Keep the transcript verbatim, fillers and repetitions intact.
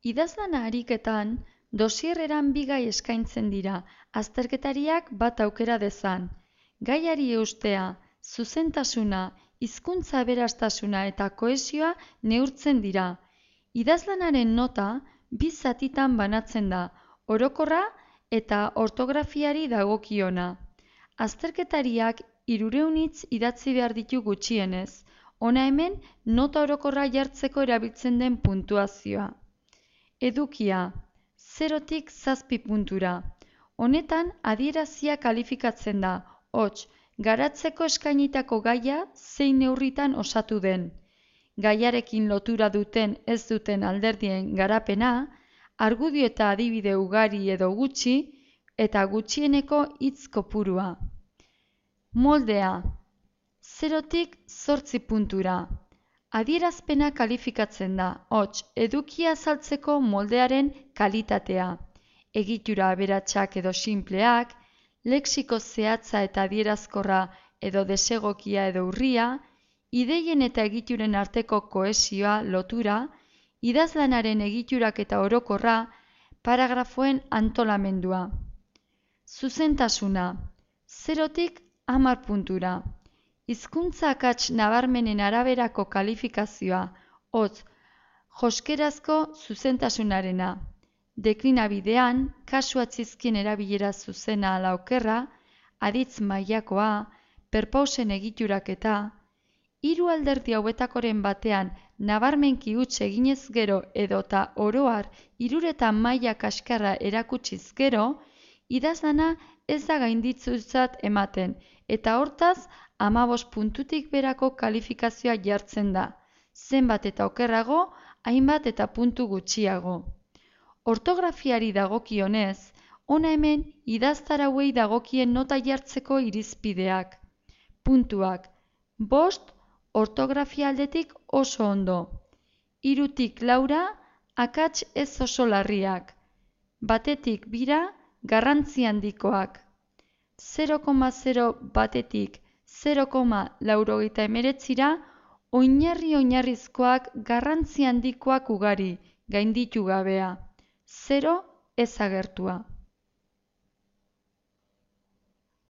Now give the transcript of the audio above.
Idazlana ariketan, dosierreran bi gai eskaintzen dira, azterketariak bat aukera dezan. Gaiari eustea, zuzentasuna, hizkuntza aberastasuna eta kohesioa neurtzen dira. Idazlanaren nota bi zatitan banatzen da, orokorra eta ortografiari dagokiona. Azterketariak hirurehun hitz idatzi behar ditu gutxienez, hona hemen nota orokorra jartzeko erabiltzen den puntuazioa. Edukia, zerotik zazpi puntura. Honetan adierazia kalifikatzen da, hots, garatzeko eskainitako gaia zein neurritan osatu den. Gaiarekin lotura duten ez duten alderdien garapena, argudio eta adibide ugari edo gutxi, eta gutxieneko hitz kopurua. Moldea, zerotik zortzi puntura. Adierazpena kalifikatzen da, hots, edukia azaltzeko moldearen kalitatea. Egitura aberatsak edo sinpleak, lexiko zehatza eta adierazkorra edo desegokia edo urria, ideien eta egituren arteko kohesioa, lotura, idazlanaren egiturak eta orokorra, paragrafoen antolamendua. Zuzentasuna, zerotik hamar puntura. Hizkuntza akats nabarmenen araberako kalifikazioa, hotz, joskerazko zuzentasunarena. Deklinabidean, kasu atzizkien erabilera zuzena ala okerra, aditz mailakoa, perpausen egiturak eta, hiru alderdi hauetakoren batean nabarmenki huts eginez gero edota oroar hiruretan maila kaskarra erakutsiz gero, idazlana ez da gainditzutzat ematen, eta hortaz, hamabost puntutik berako kalifikazioa jartzen da, zenbat eta okerrago, hainbat eta puntu gutxiago. Ortografiari dagokionez, hona hemen idaztarauei dagokien nota jartzeko irizpideak. Puntuak, bost, ortografia aldetik oso ondo. Hirutik laura, akats ez oso larriak. Batetik bira, garrantzi handikoak. zero koma zero batetik zero koma laurogeita hemeretzira, oinarri-oinarrizkoak garrantzi handikoak ugari, gainditu gabea. Zero ez agertua.